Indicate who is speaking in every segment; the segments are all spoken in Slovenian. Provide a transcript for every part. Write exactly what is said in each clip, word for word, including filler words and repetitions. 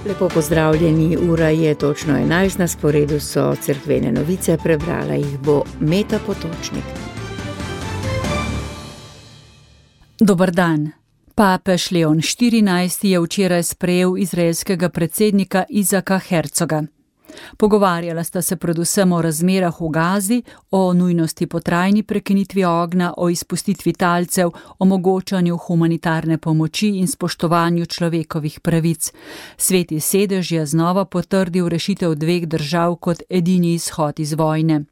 Speaker 1: Lepo pozdravljeni, ura je točno enajst, na sporedu so cerkvene novice, prebrala jih bo Meta Potočnik.
Speaker 2: Dober dan. Papež Leon štirinajsti je včeraj sprejel izraelskega predsednika Izaka Herzoga. Pogovarjala sta se predvsem o razmerah v Gazi, o nujnosti po trajni prekinitvi ognja, o izpustitvi talcev, omogočanju humanitarne pomoči in spoštovanju človekovih pravic. Sveti sedež je znova potrdil rešitev dveh držav kot edini izhod iz vojne.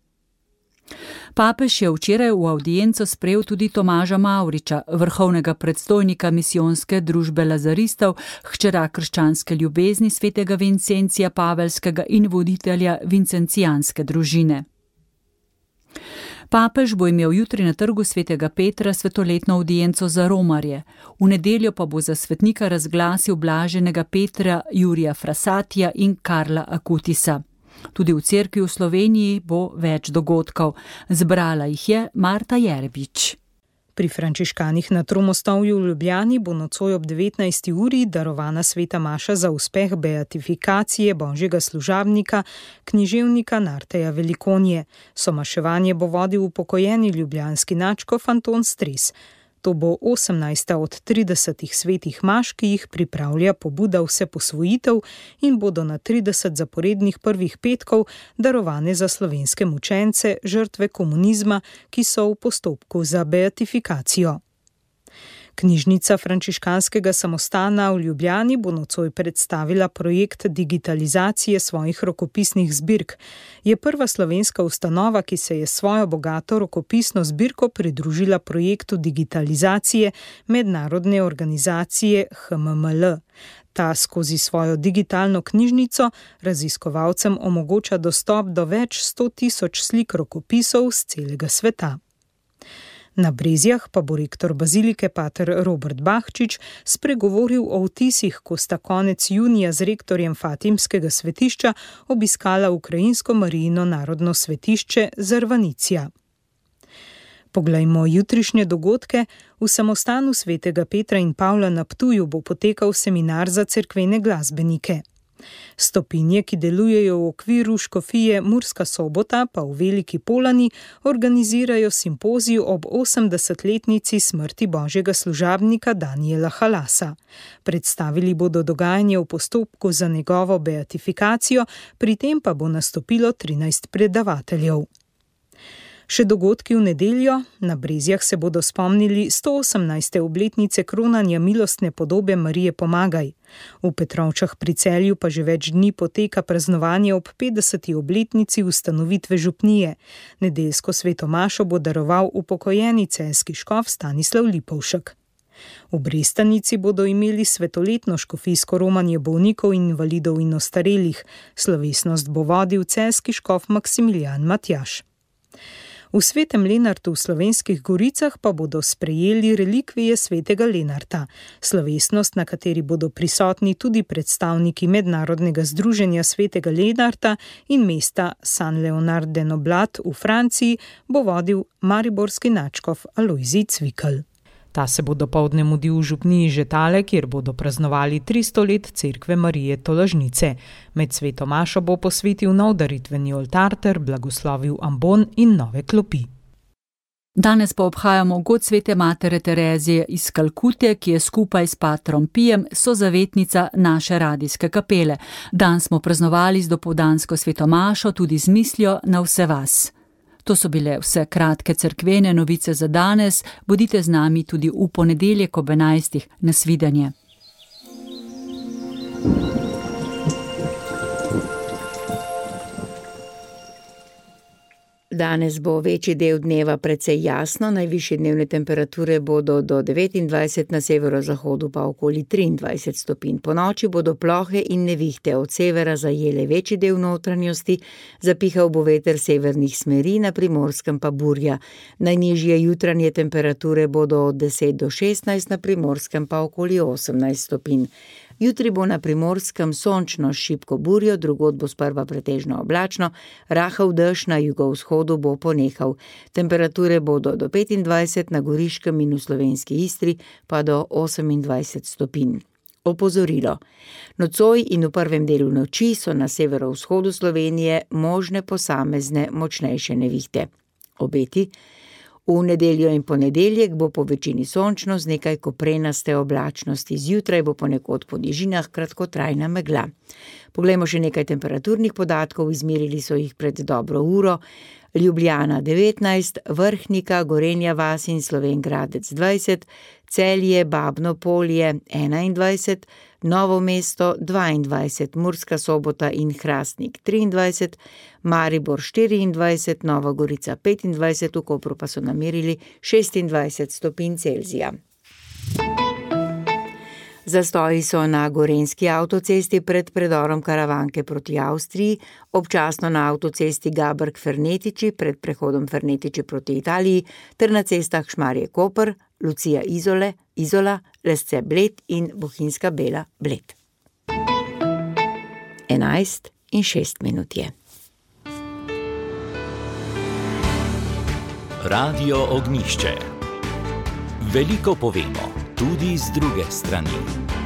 Speaker 2: Papež je včeraj v avdienco sprejel tudi Tomaža Mavriča, vrhovnega predstojnika misijonske družbe lazaristov, hčera krščanske ljubezni svetega Vincencija Pavelskega in voditelja vincencijanske družine. Papež bo imel jutri na trgu svetega Petra svetoletno avdienco za romarje. V nedeljo pa bo za svetnika razglasil blaženega Petra Jurija Frasatija in Karla Akutisa. Tudi v cerkvi v Sloveniji bo več dogodkov. Zbrala jih je Marta Jerbič.
Speaker 3: Pri frančiškanih na Tromostovju v Ljubljani bo nocoj ob devetnajsti uri darovana sveta maša za uspeh beatifikacije božjega služabnika, književnika Narteja Velikonje. Somaševanje bo vodil upokojeni ljubljanski nadškof Anton Stres. To bo osemnajsta od tridesetih svetih maš, ki jih pripravlja pobuda Vseposvojitev in bodo na trideset zaporednih prvih petkov darovane za slovenske mučence, žrtve komunizma, ki so v postopku za beatifikacijo. Knjižnica frančiškanskega samostana v Ljubljani bo nocoj predstavila projekt digitalizacije svojih rokopisnih zbirk. Je prva slovenska ustanova, ki se je svojo bogato rokopisno zbirko pridružila projektu digitalizacije mednarodne organizacije H M M L. Ta skozi svojo digitalno knjižnico raziskovalcem omogoča dostop do več sto tisoč slik rokopisov z celega sveta. Na Brezjah pa bo rektor bazilike pater Robert Bahčič spregovoril o vtisih, ko sta konec junija z rektorjem Fatimskega svetišča obiskala ukrajinsko Marijino narodno svetišče Zarvanicija. Poglejmo jutrišnje dogodke. V samostanu svetega Petra in Pavla na Ptuju bo potekal seminar za cerkvene glasbenike. Stopinje, ki delujejo v okviru škofije Murska Sobota, pa v Veliki Polani organizirajo simpozij ob osemdesetletnici smrti božjega služabnika Danijela Halasa. Predstavili bodo dogajanje v postopku za njegovo beatifikacijo, pri tem pa bo nastopilo trinajst predavateljev. Še dogodki v nedeljo. Na Brezjah se bodo spomnili sto osemnajste obletnice kronanja milostne podobe Marije Pomagaj. V Petrovčah pri Celju pa že več dni poteka praznovanje ob petdeseti obletnici ustanovitve župnije. Nedeljsko sveto mašo bo daroval upokojeni celjski škof Stanislav Lipovšek. V Brestanici bodo imeli svetoletno škofijsko romanje bolnikov in invalidov in ostarelih. Slovesnost bo vodil celjski škof Maksimilijan Matjaž. V Svetem Lenartu v Slovenskih goricah pa bodo sprejeli relikvije svetega Lenarta. Slovesnost, na kateri bodo prisotni tudi predstavniki Mednarodnega združenja svetega Lenarta in mesta Saint-Léonard-de-Noblat v Franciji, bo vodil mariborski nadškof Alojzij Cvikl. Ta se bo dopoldne mudil v župniji Žetale, kjer bodo praznovali tristo let cerkve Marije Tolažnice. Med sveto mašo bo posvetil nov daritveni oltar ter blagoslovil ambon in nove klopi.
Speaker 2: Danes pa obhajamo god svete matere Terezije iz Kalkute, ki je skupaj s patrom Pijem sozavetnica naše radijske kapele. Dan smo praznovali z dopoldansko sveto mašo tudi z mislijo na vse vas. To so bile vse kratke cerkvene novice za danes. Bodite z nami tudi v ponedeljek ob enajstih. Nasvidenje.
Speaker 1: Danes bo večji del dneva precej jasno, najvišje dnevne temperature bodo do devetindvajset, na severozahodu pa okoli triindvajset stopinj. Po noči bodo plohe in nevihte od severa zajele večji del notranjosti, zapihal bo veter severnih smeri, na Primorskem pa burja. Najnižje jutranje temperature bodo od deset do šestnajst, na Primorskem pa okoli osemnajst stopinj. Jutri bo na Primorskem sončno s šibko burjo, drugod bo sprva pretežno oblačno, rahel dež na jugovzhodu bo ponehal. Temperature bodo do petindvajset, na Goriškem in v slovenski Istri pa do osemindvajset stopinj. Opozorilo. Nocoj in v prvem delu noči so na severovzhodu Slovenije možne posamezne močnejše nevihte. Obeti. V nedeljo in ponedeljek bo po večini sončno z nekaj koprenaste oblačnosti. Zjutraj bo ponekod po nižinah kratkotrajna megla. Poglejmo še nekaj temperaturnih podatkov, izmerili so jih pred dobro uro. Ljubljana devetnajst, Vrhnika, Gorenja vas in Slovenj Gradec dvajset, Celje, Babno Polje enaindvajset, Novo mesto dvaindvajset, Murska Sobota in Hrastnik triindvajset, Maribor štiriindvajset, Nova Gorica petindvajset, v Kopru pa so namerili šestindvajset stopinj Celzija. Zastoji so na Gorenjski avtocesti pred predorom Karavanke proti Avstriji, občasno na avtocesti Gaberg-Fernetiči pred prehodom Fernetiči proti Italiji ter na cestah Šmarje-Koper, Lucija Izole, Izola, Lesce Bled in Bohinjska Bela Bled. Enajst in šest minut je.
Speaker 4: Radio Ognjišče. Veliko povemo, tudi z druge strani.